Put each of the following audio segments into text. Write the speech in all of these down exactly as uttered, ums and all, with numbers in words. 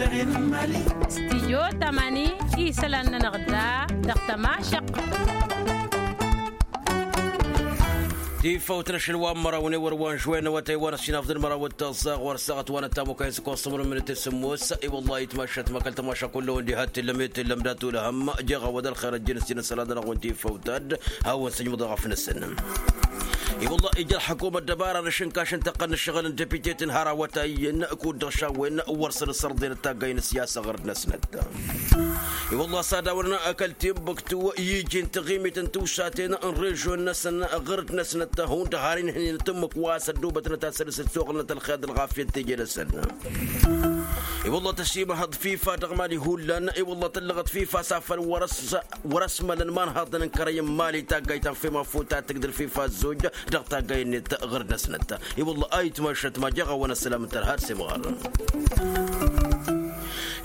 Stijyo tamani isălan-nănăɣ da dăɣ-tămašăq. Tifawt n-ašăl wa n-măraw n-ewăr wa n-žuwen n-awătay wa n-ăsinafḍăn măraw d-taẓẓaɣ wăr săɣăt wa n-ătamukay s-ăkkoẓ sămrun minit s-sǝmmos. I-wăllah itmašat ma kăl-tămaša kullu-wăn diha t-illăm i-t-illăm dat-ulhăm jeɣ a-wa d-ălxer ăjjăn s-inăsălan-nănăɣ-wen tifawt ad-hawăn-sǝjmǝḍ eɣăf-năsăn. I-wăllah ija ălxăkum ăddăbara n-ašǝnkaš n-tăqqăn n-ǝššăɣǝl n-depite-ten har awătayyen kud-dăɣ šawwen wăr săn-ǝssărḍen d-taggay n-ǝssiyasa ɣur-dăɣ-năsnăt. I-wăllah s-ad-awărăn kăl-timbuktu i-iji n-taɣimit n-tiwsaten n-režon-năsăn ɣur-dăɣ-năsnăt hundăɣ har inhǝynen tǝmmǝk wa s-ăddoobătnăt ad-săr-s dd-soɣǝlnăt ălxer d-ălɣafyăt teje-năsăn. I-wăllah tăsimăhăḍ fifa dăɣ-mali hullan i-wăllah tǝllăɣăt fifa s-afăl wăr-s wăr-ăsmălăn imanhăḍăn n-kărăy n-mali taggayt ta n-fem afut ad-tǝgdǝl fifa ăzzoj dăɣ-taggay-net ɣur-dăɣ-năsnăt. I-wăllah a itmašat ma jeɣ a-wa n-ăssălam n-tărha d-semɣar.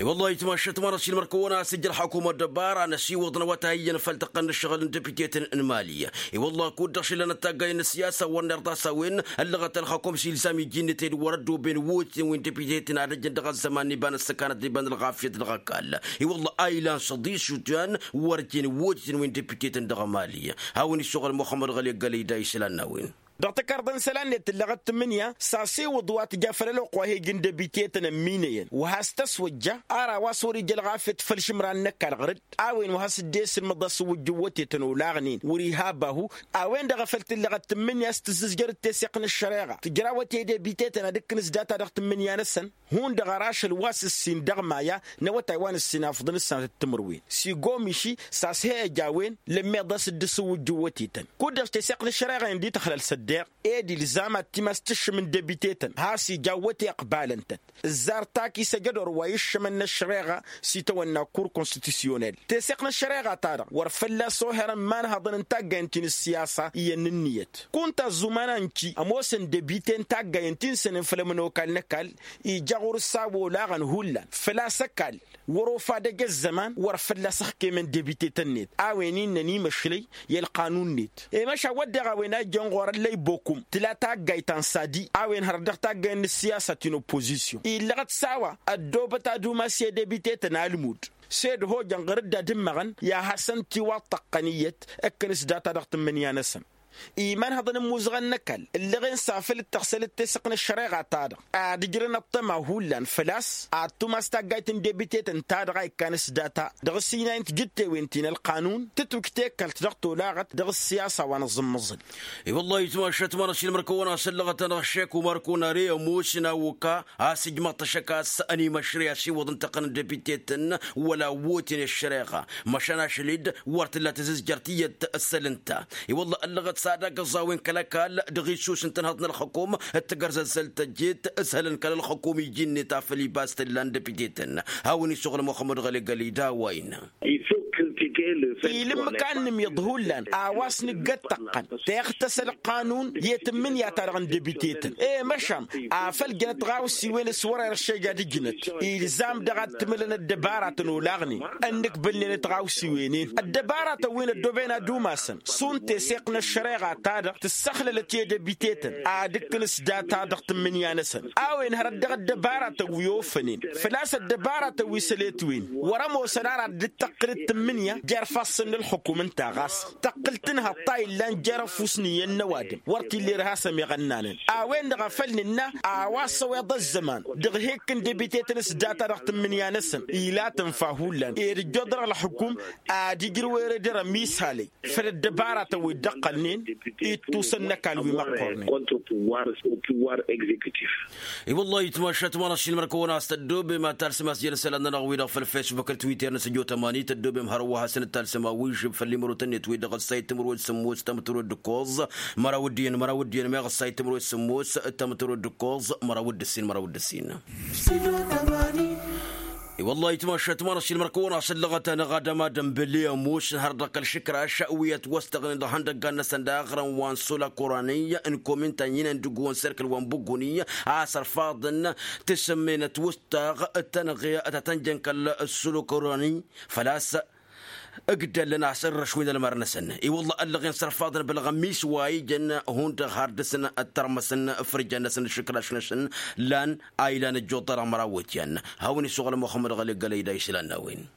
I-wăllah a itmašat ma n-ašilmăr-kăwăn a-s ija ălxăkum ăddăbara n-ăsiwăḍ n-awătay iyyăn făll-tăqqăn n-ǝššăɣǝl n-depite-ten n-mali. I-wăllah kud-dăɣ šilăn ăttaggay n-ǝssiyasa wăr nerḍas a-wen ăllăɣăt ălxăkum s-ilzam iji-net ed wăr-ăddooben wotiten wi n-depite-ten ad-ăjjăn dăɣ-ăzzăman n-iba n-ăssăkanăt d-iba n-ălɣafyăt dăɣ-ăkall. I-wăllah a ilan s-ăḍis šutyan wăr jen wotiten wi n-depite-ten dăɣ-mali. Hawăn-issoɣăl muxămmăd ɣăli ăggălăy da isălan n-a-wen. Dăɣ-tăkarḍa n-isălan-net tǝllăɣăt tǝmmǝnǝya s-asewăḍ wa tǝja făll-ălwăqq wa he-ǝjǝn debite-tăn ămminăyăn wa has-tăswăjja. Ar a-wa s-wăr-ija ălɣafyăt făll-išǝmran n-ăkall ɣăr-dd a-wen wa has-dd-esǝlmăḍ asǝwwǝjjǝw wătetăn olaɣnen wăr-iha abahu. A-wen-dăɣ a făl tǝllăɣăt tǝmmǝnǝya s-tǝzzǝzjăr d-teseɣt n-ăššăreɣa tǝjrawăt i-debite-tăn ad-ǝkkǝn s-data dăɣ-tǝmmǝnǝya-năsăn. Hundăɣ ar ašăl wa s-ǝssin dăɣ-maya n-awătay wa n-ǝssin afḍăn s-sănatăt timǝrwen s-igomiši s-ass he-ăj a-wen lămmeḍ a-s dd-ǝsǝwwǝjjǝw wătetăn. Kud-dăɣ teseɣt n-ăššăreɣa-in dd-tăxlăl s-ăddeɣ ed ilzam ad-t-imass tǝššǝm n-debite-tăn has-ija awăte ăqbalăn-tăt. Ǝzzar taki s-ejădor wa iššămăn n-ăššăreɣa s-itawănna kur konstitisyonel teseɣt n-ăššăreɣa-ta-dăɣ wăr fălla-s oherăn imanhăḍăn n-taggayăn ti n-ǝssiyasa iyyăn n-ǝnniyăt. Kunta ăzzuman-a n-ti ămoosăn debite n-taggayăn ti n-sănen făll-ămănokal n-ăkall ija ɣur-s a-wa olaɣăn hullan făl-a-s ăkall wăr-ofad ăj ăzzăman wăr fălla-s ăxkemăn debite-tăn-net a-wen innăn imăšlăy i-ălqanun-net. I-măšan wădden a-wen a ijjăn ɣur-ăllăy bokum tǝla taggayt ta n-sadi a-wen hărăt dăɣ-taggayt n-ǝssiyasa ti n-oppozisyon illăɣăt s-a-wa ăddoobăt ad-umas i-debite-tăn almud s-ed hojăn ɣur-dd ad-ǝmmăɣăn i-ad-hasăn-tiwaṭṭăqqăn iyyăt ǝkkǝn s-data dăɣ-tǝmmǝnǝya-năsăn. Imanhăḍăn n-imuzăɣăn n-ăkall ǝllăɣen s-afăl dd-tăɣsăl d-tesăɣt n-ăššăreɣa-ta-dăɣ ad-ǝjrăn ăṭṭăma hullan făl-a-s ad-tumas taggayt n-debite-tăn-ta-dăɣ a ikkan s-data dăɣ-s inay n-tijǝttewen ti n-ălqanun tǝtwǝj tekalt dăɣ-tolaɣăt dăɣ-ăssiyasa wa n-aẓǝmmăẓǝl. I-wăllah itmašat ma n-ašilmăr-kăwăn a-s ăllăɣăt-anăɣ šek umar kunare ămoos n-awǝka a-s ǝjmăḍ-t ašăk a-s ănimăšrăy asiwăḍ n-tăqqăn n-debite-tăn wăla wăten i-ăššăreɣa măšan ašăl-dd wăr tǝlla tǝzǝzjăr tiyyăt ăssăl ǝnta. I-wălla ăllăɣăt s-ad-agǝẓ a-wen kăl-ăkall dăɣ-issus n-tănhăḍt n-ălxăkum d-tagărzăzzălt tăjjet ǝshălăn kăl-ălxăkum iji-net afăl ibas tǝllan dăpite-tăn. Hawăn-isuɣǝl muxămmăd ɣăli gălida wa innă. Ilǝmmǝk a ǝnnǝmyăḍ hullan a-wa s-nǝggăt tăqqăn teɣtăs ălqanun i-tǝmmǝnǝya-ta-dăɣ n-dăbite-tăn i-măšan afăl jănăt ɣawsiwen s-wăr-eršej ad-ǝjnăt. Ilzam-dăɣ ad-tǝmǝlăn ăddăbaratăn olaɣnen ănnǝkbǝlnen ătɣawsiwen-en ăddăbaratăn wi n-ăddooben ad-umasăn šund teseɣt n-ăššăreɣa-ta-dăɣ tǝssăxlălăt i-dăbite-tăn ad-ǝkkǝn s-data dăɣ-tǝmmǝnǝya-năsăn. A-wen hărăt dăɣ-ăddăbaratăn wi ofănen făl-a-s ăddăbaratăn wi săletwen wăr-ămoosăn ara dd-tăqqǝl d-tǝmmǝnǝya jer-ifassăn n-ălxukum ǝnta ɣas tăqqǝl tǝnhăḍ ta illan jer-ăfuss n-iyyăn n-ăwadǝm wăr t-illa irha a-s ămiɣănnanăn. A-wen-dăɣ a făl nǝnna a-wa s-ăweḍ ăzzăman dăɣ-hi-ǝkkǝn debite-tăn s-data dăɣ-tǝmmǝnǝya-năsăn ila tǝnfa hullan ed ǝjjoḍ dăɣ-ălxukum ad-ijrǝw eredăr ămisalăy făll-ăddăbaratăn wi dd-ăqqălnen ittusăn n-ăkall wi măqqornen. I-wălla-hi itmašat ma n-ašilmăr-kăwăn a-s tăddoobem ad-talsăm a-s jăn isălan-nănăɣ-wi-dăɣ făll-fesbuk d-twitter n-săjo tămani tăddoobem hărwa hasăn-dd-talsăm awižǝb făll-imărotăn-net wi-dăɣ ăssay timǝrwed sǝmmos tămtărwed d-ǝkkoẓ măraw d-iyyăn măraw d-iyyăn meɣ ăssay timǝrwed sǝmmos tămtărwed d-ǝkkoẓ măraw d-ǝssin măraw d-ǝssin. I-wălla-hi itmašat ma n-ašilmăr-kăwăn a-s ǝllăɣăt-anăɣ ad-ămadăn băle ămoosăn har dăɣ-kăl-išǝkraš wi ătwăstăɣnen dăɣ-ihăndăggan-năsăn daɣ ărăn wa n-sola korani n-komin ta n-inăndǝggu n-serkǝl wa n-băgguni a-s ărfaḍăn tǝsǝmmen ătwăstăɣ tănɣe ta tăn-jăn kăl-solo korani făl-a-s Ǝgdăllăn a-s ărrăšwin ălmăr-năsăn i-wălla ăllăɣen s-ărfaḍăn bălɣămis wa ijăn hundăɣ har dăr-săn ăttărmăsăn fărjan-năsăn d-išǝkraš-năsăn. Lan a ilan ăjjuḍ-dăɣ măraw wătyan. Hawăn-isuɣǝl muxămmăd ɣăli gălăy da išlan n-a-wen.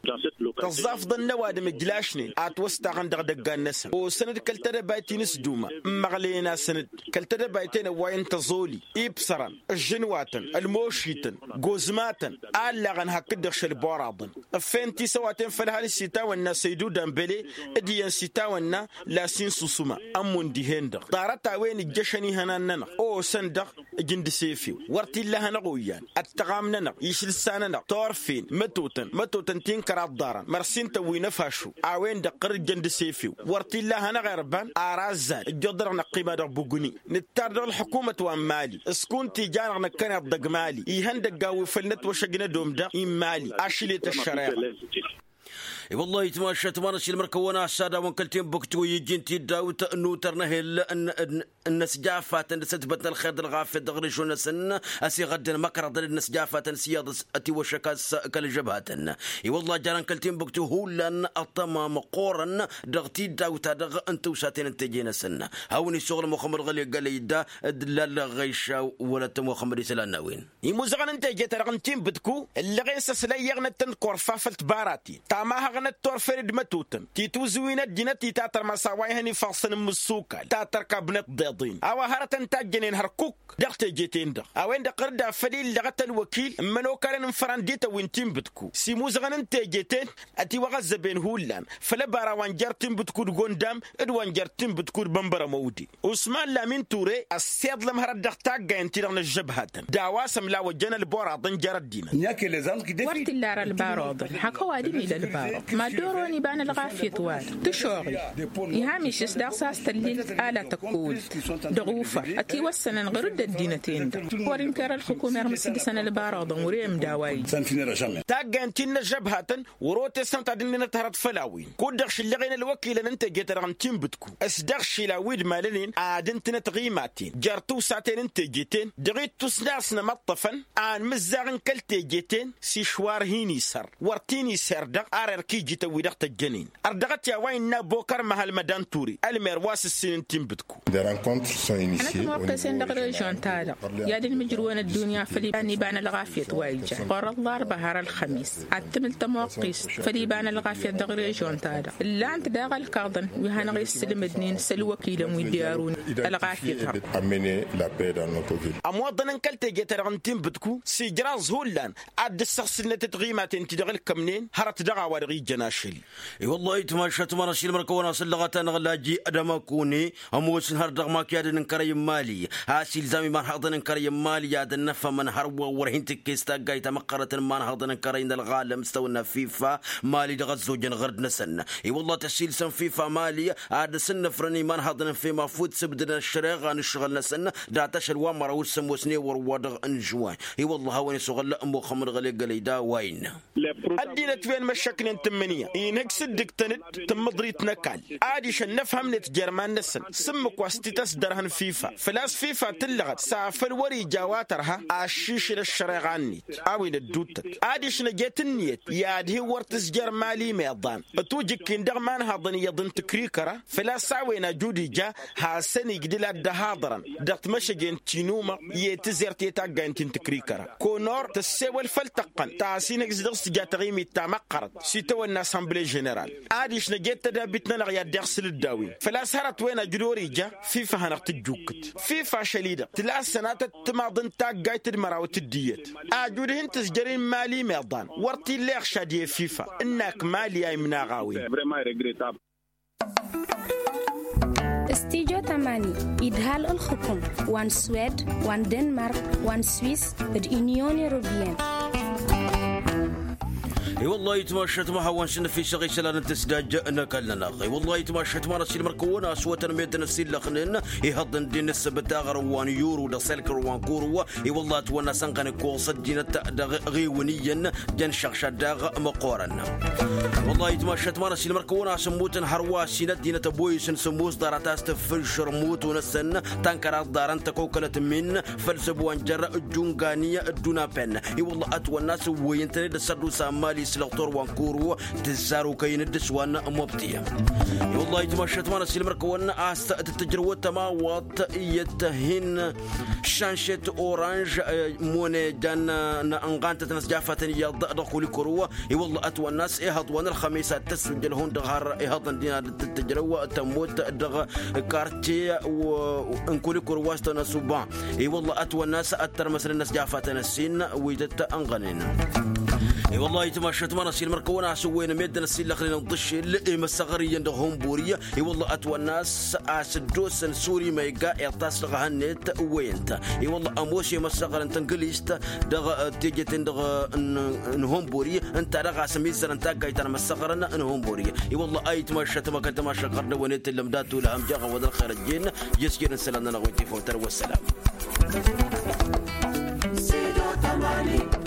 Tăẓẓafḍăn n-ăwadǝm ǝjlašnen a ătwăstaɣăn dăɣ-idăggan-năsăn osăn-dd kăl-tedăbayt-in s-duma ǝmmăɣlăyăn-asăn-dd kăl-tedăbayt-en ăwwayăn tăẓoli, ibsărăn, ǝžžǝnwatăn, ălmošităn, gozmatăn, allaɣăn hakd-dăɣ šălburaḍăn. Ǝffent isăwaten făll-hal s-itawănna săydudan băle d-iyyăn s-itawănna lasin susuma ămmun dihen-dăɣ ḍarăt-a-wen ǝjjăšăn ihănan-nănăɣ osăn-dăɣ. Ǝjǝn d-asefew wăr t-illa hanăɣ-oyyan ăttăɣam-nănăɣ išǝlsa-nănăɣ turfen mătotăn mătotăn ti n-kăraḍ ḍarăn mărsin tăwwin ăfašo. A-wen-dăɣ ɣǝr-ǝjjăn d-asefew wăr t-illa hanăɣ-irban ar azzal ǝjjuḍ-dăɣ năqqima dăɣ-bugni. Nǝttar dăɣ-ălḥukumăt wa n-mali s-kunta ija-năɣ năkkăneḍ dăgg-mali ihăndăgg a-wen făll-inătwăšăgna dom-dăɣ i n-mali ašăl i-tăššăreɣa. I-wăllah itmašat ma n-ašilmăr kăwăn-assadawăn kăl-tinbuktu iji n-tiddawt n-utăr n-ehel n-năsjafatăn d-asătbăt n-ălxer d-ălɣafyăt dăɣ-režon-năsăn. Ăsiɣăddăn măkrăḍăn d-năsjafatăn s-iyyăḍ ătiwăššăk a-s kăl-žăbhatăn. I-wăllah jarăn kăl-tinbuktu hullan ăṭṭăma măqqoorăn dăɣ-tiddawt-ta-dăɣ n-tiwsaten n-teje-năsăn. Hawăn-isuɣǝl muxămmăd ɣăli gălăy da d-lallăɣ ɣăyša wălăt muxămmăd isălan n-a-wen. Imuzăɣăn n-teje-ta-dăɣ n-tinbǝtku ǝllăɣen s-ăslăyyăɣnăt-tăn korfa făll-tibaraten tamahăɣnăt turfen d-mătotăn tituzǝwin ăddinăt itatărmăs a-wa ihăn ifassăn n-imǝssukal ta tărkabnăt deḍen a-wa hărătăn tajjănen hărkuk. Dăɣ-teje-ten-dăɣ a-wen-dăɣ ɣǝr-dd afăl illăɣăt ălwăkil n-imănokalăn n-fărăn d-itawin tinbǝtku s-imuzăɣăn n-teje-ten. Ătiwăɣăzzăben hullan făll-ăbara wa n-jer-tinbǝtku d-gondam d-wa n-jer-tinbǝtku d-bănbărămăwde. Usman lamin ture ăssiḍlăm hărăt dăɣ-taggayăn-ti-dăɣ n-ăžžăbhatăn d-a-wa s-ămlawăjjăn ălboraḍăn jer-ăddinăt. Wăr t-illa ar ălbaroḍăn hak ăwadǝm ila ălbaroḍ mad-dd oron iba n-ălɣafyăt-wa-dăɣ tǝšoɣi. Iha mišǝs daɣ s-a-s tăllilt ala tăkkolt dăɣ-ufăr ătiwăssănăn ɣur-dd ăddinăt-en-dăɣ. Wăr-inker ălxǝkum irmǝs dăɣ-săn ălbaroḍăn wăr-e ǝmda a-wa ija. Taggayăn-ti n-inăžžăbhatăn wăr-otesnăt ad-ǝnnǝnăt hărăt făll-a-wen kud-dăɣ šǝllăɣen ălwăkilăn n-teje-ta-dăɣ n-tinbǝtku s-dăɣ-išilan wi d-malănen ad-ǝntǝnăt ɣimaten jer-tiwsaten n-teje-ten dăɣ-ittus n-a-s nămăṭṭăfăn. Anmǝzzaɣ n-kăl-teje-ten s-išwar hin-isăr wăr t-in-iser dăɣ-ar erk ijităn wi dăɣ-tăjjănen. Ărdăɣăt i-a-wa innă bokăr măhăl mădan ture ălmer wa s-ǝssin n-tinbǝtku. Anătmortăsen dăɣ-režion-ta-dăɣ i-ad-ǝlmǝjrǝwăn ăddunya făll-iba n-ălɣafyăt wa ijan ɣur-ăllarba har ălxămis ad-tǝmǝl tămoqqist făll-iba n-ălɣafyăt dăɣ-režion-ta-dăɣ. Ǝllan-t daɣ ălkaḍăn wi hanăɣ-issǝlmǝdnen s-ălwăkilăn wi dd-iărun ălɣafyăt-ta-dăɣ. Ămoḍăn n-kăl-teje-ta-dăɣ n-tinbǝtku s-ijraẓ hullan ad-dd-ǝssăɣsǝlnăt tiɣimaten ti dăɣ-ǝlkămnen hărăt dăɣ-a-wa dăɣ-ijăn ašăl-i. I-wăllah itmašat ma n-ašilmăr kăwăn-asǝllăɣăt-anăɣ laji d-amăkune ămoosăn har dăɣ-makyadăn n-kărăy n-imali a-s ilzam imanhăḍăn n-kărăy n-imali ad-ănnăfhămăn hărwa wăr hin-tǝkkes taggayt tamăqqărăt n-imanhăḍăn n-kărăy n-ălɣalăm s-tawănna fifa mali dăɣ-ăzzojăn ɣărd-năsăn. I-wăllah tăsilsăn fifa mali ad-dăr-s ǝnnăfrăn imanhăḍăn n-fem afut sǝbdǝdăn ăššăreɣa n-ǝššăɣǝl-năsăn dat-ašăl wa n-măraw d-sămoosnen wăr-wa-dăɣ n-žuwin. I-wăllah a-wen isuɣǝl muxămmăd ɣăli gălăy d-a-wa innă. Ăddinăt wi ănmăššăknen tǝmmǝnǝya inhǝj s-dd-ǝktăn-dd tǝmmǝḍrit n-ăkall adiš ănnăfhămnet jer-iman-năsăn s-ǝmmǝk wa s-t-ităs dăr-hăn fifa făl-a-s fifa tǝllăɣăt s-afăl wăr-ija a-wa tărha aššišǝl ăššăreɣa-net. A-wen ădduuttăt adiš năjet ǝnniyăt i-ad-hin-wăr tǝzjăr mali meḍan tujǝkkin dăɣ-imanhaḍăn iyyăḍ n-tǝkrikăra făl-a-s a-wen ajud ija hasăn-ijdǝl ad-dd-ăhaḍărăn dăɣ-timăšăjen ti n-umăɣ i-tǝzert i-taggayăn ti n-tǝkrikăra. Konor tăssewăl făll-tăqqăn ta s-inhǝj s-dăɣ-s tǝja taɣimit ta măqqărăt s-itawănna assemble ženeral. Adiš năjet tădabit-nănăɣ i-ad-dd-iɣsǝl dd-a-wen făl-a-s hărăt wen ajud ori ija fifa hanăɣ-tǝjjukkǝt. Fifa ašăl-i-dăɣ tǝlasăn ad-tăt-tǝmaḍ n-taggayt d-măraw d-tǝddǝyăt ajud hin-tǝzjăr i n-mali meḍan. Wăr t-illa iɣšad i-fifa ǝnnak mali a imnaɣ a-wen. Stijo tamani idhal ǝlxǝkum wa n-swed wa n-denmark wa n-swis d-inyon europeyăn. I-wăllah itmašat ma hawăn-s năfisăɣ isălan n-tǝsdaj n-ăkall-nănăɣ. I-wăllah itmašat ma n-ăsilmăr kăwăn-aswătăn meddǝn ăsillăxnen ihăḍ n-dd-inǝssǝbǝt aɣrǝw wa n-yuru d-asălkăr wa n-kuru. I-wăllah ătwănna sănɣănǝk oɣǝs ăddinăt dăɣ-ɣiwǝn iyyăn jăn šăɣšad daɣ măqqoorăn. Wăllah itmašat ma n-ăsilmăr kăwăn-asǝmmutăn hărwa s-inăt dinăt ăboyǝsăn s-ămoos ḍarăt a-s tǝffǝžšăr mutu-năsăn tănkăraḍ ḍarăn tăkokălăt min făll-săb wa n-jer-ăjjungani d-unapen. I-wăllah ătwănna s-ǝwwăyăn-tăn-dd ăssărdusa n-mali. s-lăɣtor wa n-kuru tǝzzar okăyăn dd-s wa n-mobtiyăm. I-wăllah itmašăt ma n-ăsilmăr-kăwăn a-s tǝttǝjrăwăt tămawaḍt iyyăt hin šanšet oranž mone jan n-ănɣantăt n-ăsjafatăn iyyăḍ dăɣ-kulikuru. I-wăllah ătwănna a-s ihăḍ wa n-ălxămis ad-tăssujjăl hundăɣ har ihăḍăn din ad-tǝttǝjrăw tămmut dăɣ-karce n-kulikuru wa s-tănăsuba. I-wăllah ătwănna a-s ăttărmăsnen ăsjafatăn ăssin wi tăt-ănɣănen. I-wăllah itmašăt ma n-ăsilmăr-kăwăn a-s ǝwwăyăn meddǝn ăsillăxnen ǝḍḍǝššel i-măssăɣăr iyyăn dăɣ-hunburi. I-wăllah ătwănna a-s ăsdosăn suri ma igga iṭṭas dăɣ-ehănnet ǝwwăyăn-t. I-wăllah ămoos i-măssăɣăr n-tǝnglist dăɣ-teje-ten-dăɣ n-hunburi ǝnta daɣ a-s ămizzărăn taggayt ta n-măssăɣărăn n-hunburi. I-wăllah a itmašăt ma kăl-tamašăk ɣărnăwăn i-tǝllăm dat-ulhăm jaɣ-awăd ălxer ăjjeen. Jăsjed n-isălan-nănăɣ wi n-tifawt ar wăssălam. Sido tamani.